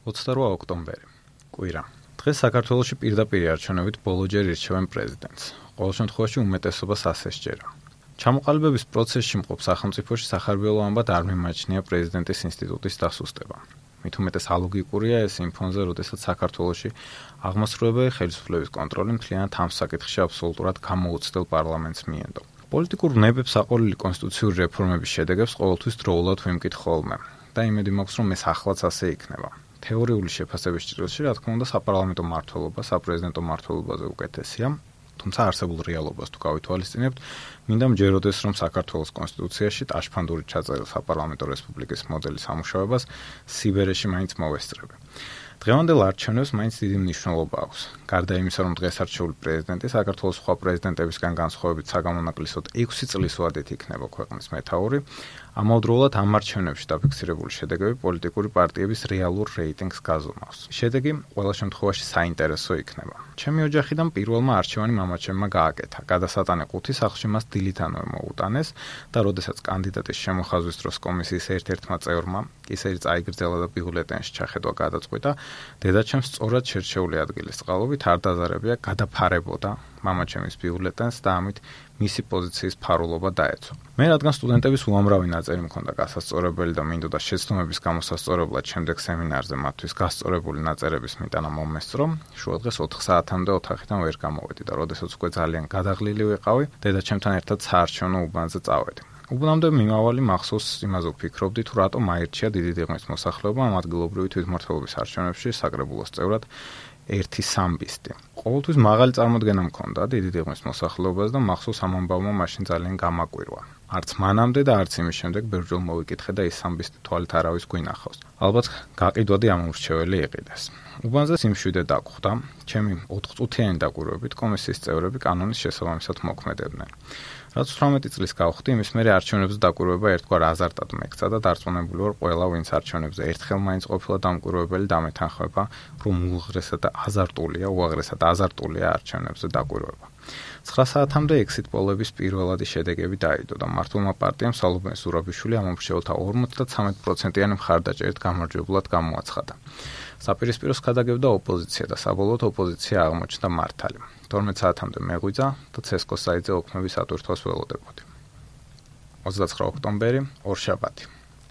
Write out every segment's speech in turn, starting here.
28 ოქტომბერი. კვირა. დღეს საქართველოში პირდაპირ არჩევნებით ბოლოჯერ ირჩევენ პრეზიდენტს. ყოველ შემთხვევაში უმეტესობას ასე სჯერა. ჩამოყალიბების პროცესში მყოფ სახელმწიფოში სახარბიელო ამბად არ მიმაჩნია პრეზიდენტის ინსტიტუტის დასუსტება. მით უმეტეს ალოგიკურია ეს იმ ფონზე, როდესაც საქართველოში აღმასრულებელი ხელისუფლების კონტროლი მთლიანად ამ საკითხში აბსოლუტურად გამოუცდელ პარლამენტს მიენდო. პოლიტიკურ ვნებებს აყოლილი კონსტიტუციური რეფორმების შედეგებს ყოველთვის დროულად ვიმკით ხოლმე და იმედი მაქვს, რომ ეს ახლაც ასე იქნება. თეორიული შეფასების ჭრილში, რა თქმა უნდა, საპარლამენტო მმართველობა, საპრეზიდენტო მმართველობაზე უკეთესია, თუმცა არსებულ რეალობას თუ გავითვალისწინებთ, მინდა მჯეროდეს, რომ საქართველოს კონსტიტუციაში ტაშფანდური ჩაწერილ საპარლამენტო რესპუბლიკის მოდელის ამუშავებას სიბერეში მაინც მოვესწრები. დღევანდელ არჩევნებს მაინც დიდი მნიშვნელობა აქვს. გარდა იმისა, რომ დღეს არჩეული პრეზიდენტი საქართველოს სხვა პრეზიდენტებისგან განსხვავებით საგამონაკლისოდ 6 წლის ვადით იქნება ქვეყნის მეთაური, ამავდროულად ამ არჩევნებში დაფიქსირებული შედეგები პოლიტიკური პარტიების რეალურ რეიტინგს გაზომავს. შედეგი ყველა შემთხვევაში საინტერესო იქნება. ჩემი ოჯახიდან პირველმა არჩევანი მამაჩემმა გააკეთა. გადასატანე 5 სახლში მას დილითანვე მოუტანეს და როდესაც კანდიდატის შემოხაზვის დროს კომისიის ერთ-ერთმა წევრმა კისერი წაიგრძელა და ბიულეტენში ჩახედვა გადაწყვიტა, დედაჩემს სწორად შერჩეული ადგილის წყალობით არ დაზარებია გადაფარებოდა მამაჩემის ბიულეტენს და ამით მისი პოზიციის ფარულობა დაეცვა. მე რადგან სტუდენტების უამრავი ნაწერი მქონდა გასასწორებელი და მინდოდა შეცდომების გამოსასწორებლად შემდეგ სემინარზე მათთვის გასწორებული ნაწერების მიტანა მომესწრო, შუადღეს 4 საათამდე ოთახიდან ვერ გამოვედი და როდესაც უკვე ძალიან გადაღლილი ვიყავი, დედაჩემთან ერთად საარჩევნო უბანზე წავედი. უბნამდე მიმავალი მახსოვს იმაზე ვფიქრობდი, თუ რატომ აირჩია დიდი დიღმის მოსახლეობა ამ ადგილობრივი თვითმმართველობის არჩევნებში საკრებულოს წევრად 1 სამბისტი. ყოველთვის მაღალი წარმოდგენა მქონდა დიდი დიღმის მოსახლეობას და მახსოვს ამ ამბავმა მაშინ ძალიან გამაკვირვა. არც მანამდე და არც იმის შემდეგ ბევრჯერ მოვიკითხე და ის სამბისტი თვალით არავის გვინახავს. ალბათ გაყიდვადი ამომრჩეველი იყიდეს. უბანზე სიმშვიდე დაგხვდა, ჩემი 4 წუთიანი დაკვირვებით კომისიის წევრები კანონის შესაბამისად მოქმედებდნენ. რაც 18 წლის გავხდი, იმის მერე არჩევნებზე დაკვირვება ერთგვარ აზარტად მექცა და დარწმუნებული ვარ, ყველა ვინც არჩევნებზე ერთხელ მაინც ყოფილა დამკვირვებელი დამეთანხმება, რომ უაღრესად აზარტულია არჩევნებზე დაკვირვება. 9 საათამდე exit poll-ების პირველადი შედეგები დაიდო და მართლმა პარტიამ სალობენ ზურაბიშვილი ამომრჩეველთა 53%-იანი მხარდაჭერით გამარჯვებულად გამოაცხადა. საპირისპიროს გადაგებდა ოპოზიცია და საბოლოოდ ოპოზიცია აღმოჩნდა მართალი. 12 საათამდე მეღვიძა და ცესკოს საიტზე ოქმების ატვირთვას ველოდებოდი. 29 ოქტომბერი, ორშაბათი.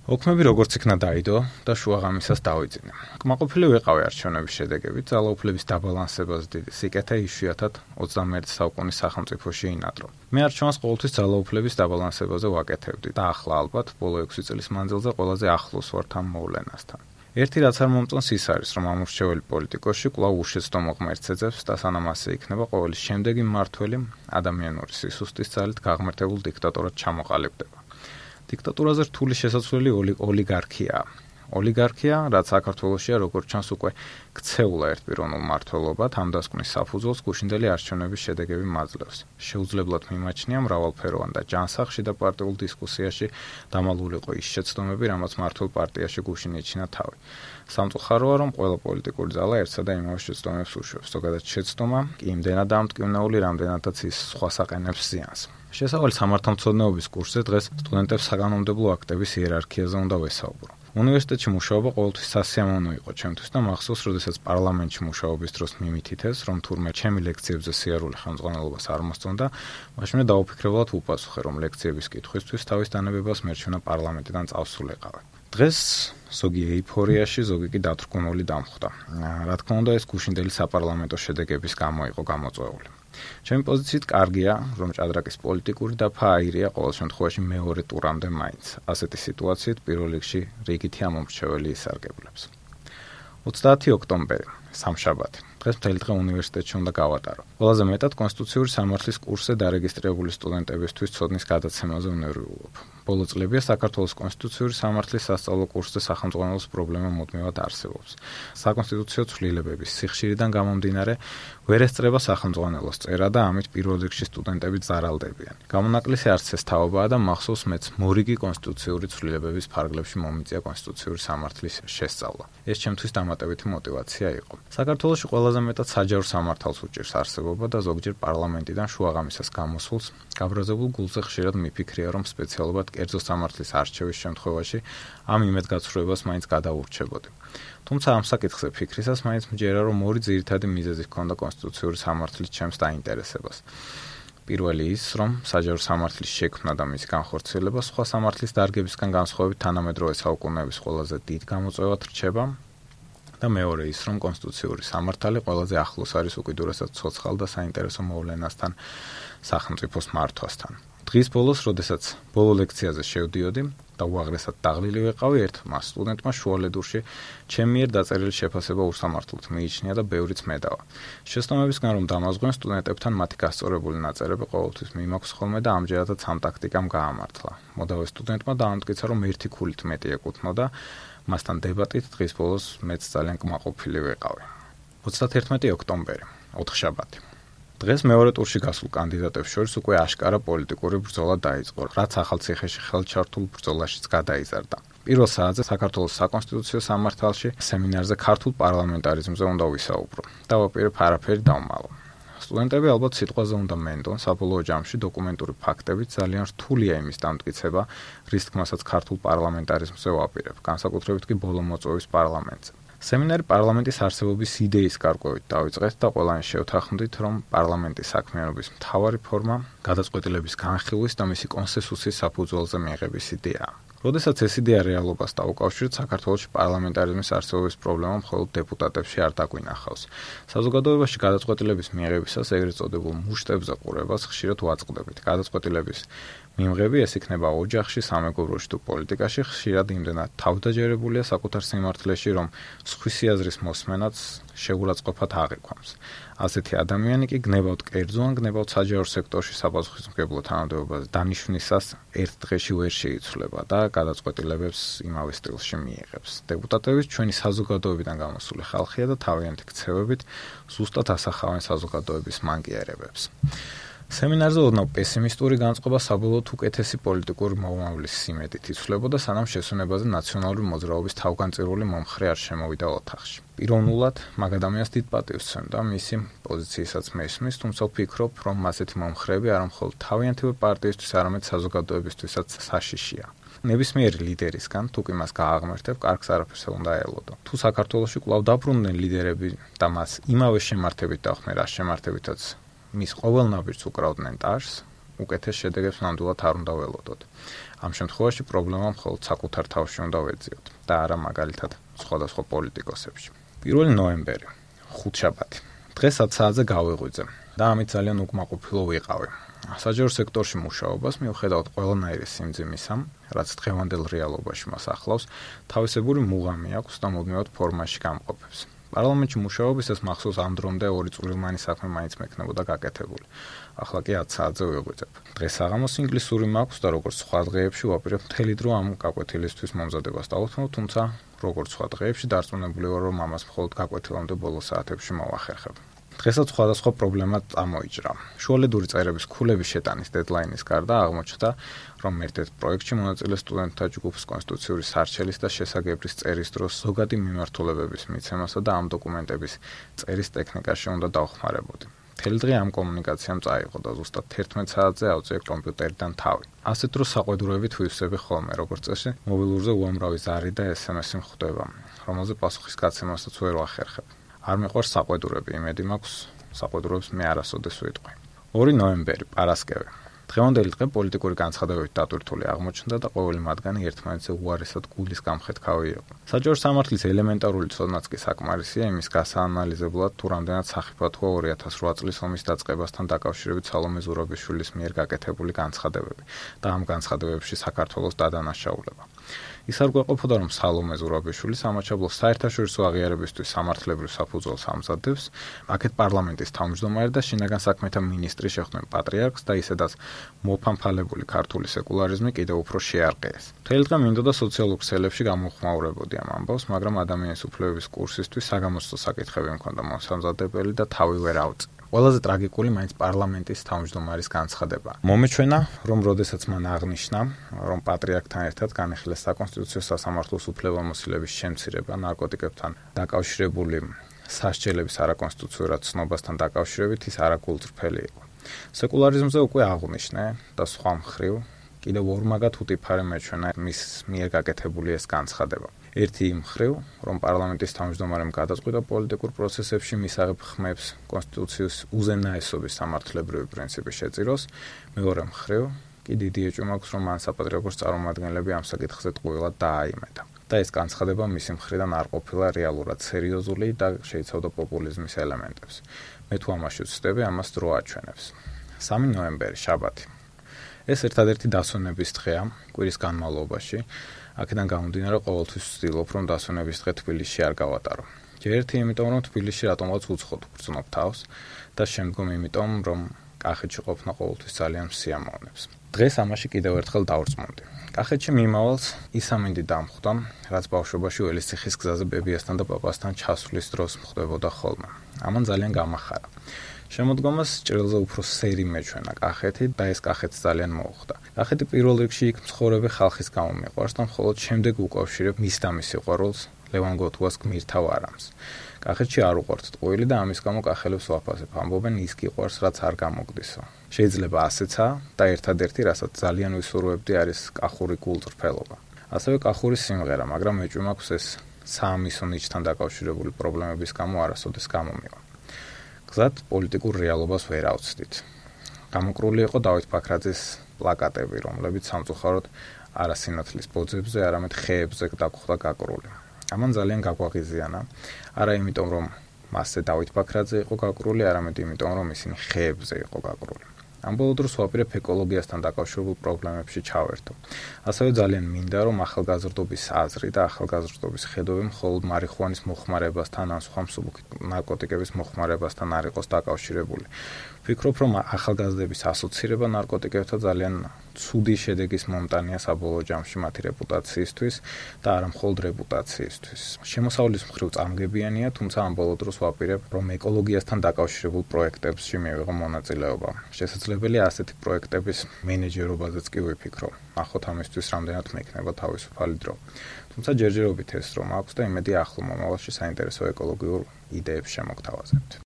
ოქმები როგორც იქნა დაიდო და შუაღამისას დავიძინე. კმაყოფილი ვიყავი არჩევნების შედეგებით, ძალაუფლების დაბალანსებას დიდი სიკეთე იშვიათად 21 საუკუნის სახელმწიფოში ინადრო. მე არჩევანს ყოველთვის ძალაუფლების დაბალანსებაზე ვაკეთებდი და ახლა ალბათ ბოლო 6 წლის მანძილზე ყველაზე ახლოს ვართ ამ მოვლენასთან. ერთი რაც არ მომწონს ის არის, რომ ამორჩეველი პოლიტიკოსში კვლავ უშეცდომო ღმერთს ეძებს და სანამ ასე იქნება, ყოველი შემდეგი მმართველი ადამიანური სისუსტის ძალით გაღმერთებულ დიქტატორად ჩამოყალიბდება. დიქტატურაზე რთული შესაძლებელი ოლიგარქიაა. ოლიგარქია, რაც საქართველოშია როგორც ჩანს უკვე ქცეულა ერთპიროვნულ მმართველობად, ამ დასკვნის საფუძველს გუშინდელი არჩევნების შედეგები მაძლევს. შეუძლებლად მიმაჩნია მრავალფეროვან და ჯანსაღ და პარტიულ დისკუსიაში დამალულიყო ის შეცდომები, რამაც მმართველ პარტიაში გუშინ ეჩინა თავი. სამწუხაროა, რომ ყველა პოლიტიკური ძალა ერთსა და იმავე შეცდომებს უშვებს. ზოგადად შეცდომა კი იმდენად დამტკივნეული, რამდენადაც ის სხვას აყენებს ზიანს. შესავალი სამართალმცოდნეობის კურსზე დღეს სტუდენტებს საკანონმდებლო აქტების იერარქიაზე უნდა ვესაუბრო. უნივერსიტეტში მუშაობა ყოველთვის სასიამოვნო იყო ჩემთვის და მახსოვს, როდესაც პარლამენტში მუშაობის დროს მიმითითეს, რომ თურმე ჩემი ლექციებზე სიარული ხელმძღვანელობას არ მოსწონდა, მაშინვე დაუფიქრებლად ვუპასუხე, რომ ლექციების კითხვისთვის თავის დანებებას მერჩვენა პარლამენტიდან წავსულიყავი. დღეს ზოგი ეიფორიაში, ზოგი კი დათრგუნული დამხვდა. რა თქმა უნდა, ეს გუშინდელი საპარლამენტო შედეგების გამო იყო გამოწვეული. ჩემი პოზიციით კარგია, რომ ჭადრაკის პოლიტიკური დაფა აირია ყოველ შემთხვევაში მეორე ტურამდე მაინც. ასეთი სიტუაციით პირველ რიგში რიგითი ამომრჩეველი ისარგებლებს. 30 ოქტომბერი, სამშაბათი. დღეს მთელი დღე უნივერსიტეტში უნდა გავატარო. ყველაზე მეტად კონსტიტუციური სამართლის კურსზე დარეგისტრირებული სტუდენტებისთვის ცოდნის გადაცემაზე უნერვიულობ. ბოლო წლებია საქართველოს კონსტიტუციური სამართლის სასწავლო კურსზე სახელმძღვანელოს პრობლემა მუდმივად არსებობს. საკონსტიტუციო ცვლილებების სიხშირიდან გამომდინარე, ვერ ესწრება სახელმძღვანელოს წერა და ამით პირველ რიგში სტუდენტები ზარალდებიან. გამონაკლისი არც ეს თაობაა და მახსოვს მეც მორიგი კონსტიტუციური ცვლილებების ფარგლებში მომიწია კონსტიტუციური სამართლის შესწავლა. ეს ჩემთვის დამატებითი мотиваცია იყო. საქართველოში ყველაზე მეტად საჯარო სამართალს უჭირს არსებობა და ზოგჯერ პარლამენტიდან შუაღამისას გამოსულს გაბრაზებულ გულზე ხშირად მიფიქრია, რომ სპეციალობად კერძო სამართლის არჩევის შემთხვევაში ამ იმედგაცრუებას მაინც გადაურჩებოდი. თუმცა ამ საკითხზე ფიქრისას მაინც მჯერა, რომ ორი ძირითადი მიზეზი ჰქონდა კონსტიტუციური სამართლის ჩემს დაინტერესებას. პირველი ის, რომ საჯარო სამართლის შექმნა და მისი განხორციელება სხვა სამართლის დარგებისგან განსხვავებით თანამედროვე საუკუნეების ყველაზე დიდ გამოწვევად რჩება და მეორე ის, რომ კონსტიტუციური სამართალი ყველაზე ახლოს არის უკიდურესად ცოცხალ და საინტერესო მოვლენასთან, სახელმწიფოს მართვასთან. დღის ბოლოს, როდესაც ბოლო ლექციაზე შევდიოდი და უაღრესად დაღლილი ვიყავი, ერთმა სტუდენტმა შუალედურში ჩემი მიერ დაწერილი შეფასება უსამართლოდ მიიჩნია და ბევრიც მედავა. შეცდომებისგან რომ დამაზღვენ, სტუდენტებთან მათი გასწორებული ნაწერები ყოველთვის მიმაქვს ხოლმე და ამჯერადაც ამ ტაქტიკამ გაამართლა. მოდავე სტუდენტმა დაამტკიცა, რომ ერთი ქულით მეტი ეკუთვნოდა, მასთან დებატით დღის ბოლოს მეც ძალიან კმაყოფილი ვიყავი. 31 ოქტომბერი, ოთხშაბათი. დღეს მეორე ტურში გასულ კანდიდატებს შორის უკვე აშკარა პოლიტიკური ბრძოლა დაიწყო, რაც ახალციხეში ხელჩართულ ბრძოლაშიც გადაიზარდა. პირველ საათზე საქართველოს საკონსტიტუციო სამართალში სემინარზე ქართულ პარლამენტარიზმზე უნდა ვისაუბრო. დავაპირებ არაფერი დავმალო. სტუდენტები ალბათ სიტყვაზე უნდა მენდონ, საბოლოო ჯამში დოკუმენტური ფაქტებით ძალიან რთულია იმის დამტკიცება, რის თქმასაც ქართულ პარლამენტარიზმზე ვაპირებ, განსაკუთრებით კი ბოლო მოწვევის პარლამენტზე. სემინარი პარლამენტის არსებობის იდეის გარკვევით დავიწყეთ და ყველანი შევთანხმდით, რომ პარლამენტის საქმიანობის მთავარი ფორმა გადაწყვეტილების განხილვის და მისი კონსენსუსის საფუძველზე მიიღების იდეაა. როდესაც ეს იდეა რეალობას დაუკავშირეთ, საქართველოში პარლამენტარიზმის არსებობის პრობლემა მხოლოდ დეპუტატებში არ დაგვინახავს. საზოგადოებაში გადაწყვეტილების მიღებისას ეგრეთ წოდებულ მუშტებზე ყურებას ხშირად ვაწყდებით. გადაწყვეტილების მიმღები ეს იქნება ოჯახში, სამეგობროში თუ პოლიტიკაში, ხშირად იმდენად თავდაჯერებულია საკუთარ სიმართლეში, რომ სხვისი აზრის მოსმენაც შეურაცხყოფად აღიქვამს. ასეთი ადამიანი კი გნებავთ კერძო ან გნებავთ საჯარო სექტორში საპასუხისმგებლო თანამდებობაზე დანიშვნისას ერთ დღეში ვერ შეიცვლება და გადაწყვეტილებებს იმავე სტილში მიიღებს. დეპუტატები ჩვენი საზოგადოებიდან გამოსული ხალხია და თავიანთი ქცევებით ზუსტად ასახავენ საზოგადოების მანკიერებებს. სემინარზე ოდნავ პესიმისტური განწყობა საბოლოოდ უკეთესი პოლიტიკური მომავლის სიმედით იცვლებოდა, სანამ შესვენებაზე ნაციონალური მოძრაობის თავგანწირული მომხრე არ შემოვიდა ოთახში. პიროვნულად მაგ ადამიანს დიდ პატივს ვცემდა მისი პოზიცияსაც მესმის, თუმცა ვფიქრობ, რომ ასეთი მომხრეები არა მხოლოდ თავიანთი პარტიისთვის, არამედ საზოგადოებისთვისაც საშიშია. ნებისმიერი ლიდერისგან, თუ კი მას გააღმერთებ, კარგს არაფერს უნდა ელოდო. თუ საქართველოში კვლავ დაბრუნდნენ ლიდერები და მას იმავე შემართებით დახვდნენ, რა შემართებითაც მის ყოველ ნაბიჯს უკრავდნენ ტაშს, უკეთეს შედეგებს ნამდვილად არ უნდა ველოდოთ. ამ შემთხვევაში პრობლემა მხოლოდ საკუთარ თავში უნდა ვეძიოთ და არა მაგალითად სხვადასხვა პოლიტიკოსებში. 1 ნოემბერი, ხუთშაბათი. დღეს 10 საათზე გავიღვიძე და ამით ძალიან უკმაყოფილო ვიყავი. საჯარო სექტორში მუშაობას მიუხედავად ყველანაირი სიმძიმისა, რაც დღევანდელ რეალობაში მას ახლავს, თავისებური მუღამი აქვს და მუდმივად ფორმაში გამყოფებს. პარლამენტში მუშაობისას მახსოვს ამ დრომდე 2 წვრილმანი საქმე მაინც მექნებოდა გაკეთებული. ახლა კი 10 საათზე ვიღვიძებ. დღეს საღამოს ინგლისური მაქვს და როგორც სხვა დღეებში ვაპირებ მთელი დრო ამ გაკვეთილისთვის მომზადებას დავუთმობ, თუმცა როგორც სხვა დღეებში დარწმუნებული ვარ, რომ ამას მხოლოდ გაკვეთილამდე ბოლო საათებში მოვახერხებ. დღესაც სხვადასხვა პრობლემა წამოიჭრა. შუალედური წერების ქულების შეტანის დედლაინის გარდა აღმოჩნდა, რომ ერთ-ერთ პროექტში მონაწილე სტუდენტთა ჯგუფს კონსტიტუციური სარჩელის და შესაგებრის წერის დროს ზოგადი მიმართულებების მიცემასა და ამ დოკუმენტების წერის ტექნიკაში უნდა დავხმარებოდი. მთელი დღე ამ კომუნიკაციამ წაიღო და ზუსტად 11 საათზე ავწიე კომპიუტერიდან თავი. ასეთ დროს საყვედურებით ვივსები ხოლმე, როგორც წესი, მობილურზე უამრავი ზარი და SMS-ი მხვდება, რომელზე პასუხის გაცემასაც ვერ ვახერხებ. არ მიყვარს საყვედურები, იმედი მაქვს საყვედურებს მე არასოდეს ვიტყვი. 2 ნოემბერი, პარასკევი. დღევანდელი დღე პოლიტიკური განცხადებებით დატვირთული აღმოჩნდა და ყოველი მათგანი ერთმანეთზე უარესად გულის გამხეთქავი იყო. საჯარო სამართლის ელემენტარული ცოდნაც კი საკმარისია იმის გასაანალიზებლად, თუ რამდენად სახიფათოა 2008 წლის ომის დაწყებასთან დაკავშირებით სალომე ზურაბიშვილის მიერ გაკეთებული განცხადებები და ამ განცხადებებში საქართველოს დადანაშაულება. ის არ გვეყოფოდა, რომ სალომე ზურაბიშვილი სამაჩაბლოს საერთაშორისო აღიარებისთვის სამართლებრივ საფუძველს ამზადებს, აქეთ პარლამენტის თავმჯდომარე და შინაგან საქმეთა მინისტრი შეხვდნენ პატრიარქს და ისედაც მოფამფალებული ქართული სეკულარიზმი კიდევ უფრო შეარყიეს. მთელი დღე მინდოდა სოციალურ ქსელებში გამოხმაურებოდი ამ ამბავს, მაგრამ ადამიანის უფლებების კურსისთვის საგამოცდო საკითხები მქონდა მოსამზადებელი და თავი ვერ ავწი. ყველაზე ტრაგიკული მაინც პარლამენტის თავმჯდომარის განცხადება. მომეჩვენა, რომ როდესაც მან აღნიშნა, რომ პატრიარქთან ერთად განეხილეს საკონსტიტუციო სასამართლოს უფლებამოსილების შემცირება ნარკოტიკებთან დაკავშირებული სასჯელების არაკონსტიტუციურად ცნობასთან დაკავშირებით ის არაგულწრფელი იყო. სეკულარიზმზე უკვე აღნიშნე და სხვა მხრივ კიდევ ორ მაგათ უტიფარი მეჩვენა მის მიერ გაკეთებული ეს განცხადება. ერთი იმ მხრივ, რომ პარლამენტის თავმჯდომარემ გადაწყვიტა პოლიტიკურ პროცესებში მისაღებ ხმებს კონსტიტუციის უზენაესობის სამართლებრივი პრინციპი შეწიროს, მეორე მხრივ კი დიდი ეჭვი მაქვს, რომ მან საპატრიარქოს წარმომადგენლები ამ საკითხზე ტყუილად დააიმედა. და ეს განცხადება მისი მხრიდან არ ყოფილა რეალურად სერიოზული და შეიცავდა პოპულიზმის ელემენტებს. მე თუ ამაში ვცდები, ამას დრო აჩვენებს. 3 ნოემბერი, შაბათი. ეს ერთადერთი დასვენების დღეა კვირის განმავლობაში. აქედან გამომდინარე, ყოველთვის ვცდილობ, რომ დასვენების დღე თბილისში არ გავატარო. ერთი იმიტომ, რომ თბილისში რატომღაც უცხოდ ვგრძნობ თავს და შემდგომ იმიტომ, რომ კახეთში ყოფნა ყოველთვის ძალიან მსიამოვნებს. დღეს ამაში კიდევ ერთხელ დავრწმუნდი. კახეთში მიმავალს ის ამინდი დამხვდა, რაც ბავშვობაში ველისციხის გზაზე ბებიასთან და პაპასთან ჩასვლის დროს მხდებოდა ხოლმე. ამან ძალიან გამახარა. შემოდგომას ჭრილზე უფრო სერი მეჩვენა კახეთი და ეს კახეთს ძალიან მოუხდა. კახეთი პირველ რიგში იქ მცხოვრები ხალხის გამო მიყვარს და მხოლოდ შემდეგ უკავშირებ მის და მის სიყვარულს ლევან გოთუას გმირთავ არამს. კახეთში არ უყვართ ტყუილი და ამის გამო კახელებს ვაფასებ. ამბობენ ის გიყვარს, რაც არ გამოგდისო. შეიძლება ასეცაა და ერთადერთი, რასაც ძალიან ვისურვებდი, არის კახური გულწრფელობა. ასევე კახური სიმღერა, მაგრამ ეჭვი მაქვს ეს საამისო ნიჭთან დაკავშირებული პრობლემების გამო არასოდეს გამომივა. გზად პოლიტიკურ რეალობას ვერ ავცდით. გამოკრული იყო დავით ბაქრაძის პლაკატები, რომლებიც სამწუხაროდ არა სინათლის ბოძებზე, არამედ ხეებზე დაგხვდა გაკრული. ამან ძალიან გაგვაღიზიანა, არა იმიტომ, რომ მასზე დავით ბაქრაძე იყო გაკრული, არამედ იმიტომ, რომ ისინი ხეებზე იყო გაკრული. ამ ბოლო დროს ვაპირებ ეკოლოგიასთან დაკავშირებულ პრობლემებში ჩავერთო. ასევე ძალიან მინდა, რომ ახალგაზრდობის აზრი და ახალგაზრდობის ხედვები მხოლოდ მარიხუანის მოხმარებასთან ან სხვა მსუბუქი ნარკოტიკების მოხმარებასთან არ იყოს დაკავშირებული. ვფიქრობ, რომ ახალგაზრდების ასოცირება ნარკოტიკებთან ძალიან ცუდი შედეგის მომტანია საბოლოო ჯამში მათი რეპუტაციისთვის და არა მხოლოდ რეპუტაციისთვის. შემოსავლის მხრივ წამგებიანია, თუმცა ამ ბოლო დროს ვაპირებ, რომ ეკოლოგიასთან დაკავშირებულ პროექტებში მივიღო მონაწილეობა. შესაძლებელია ასეთი პროექტების მენეჯერობაზეც კი ვიფიქრო. ნახოთ ამისთვის რამდენად მექნება თავისუფალი დრო. თუმცა ჯერჯერობით ეს რომ აქვს და იმედია ახლო მომავალში საინტერესო ეკოლოგიურ იდეებს შემოგთავაზებთ.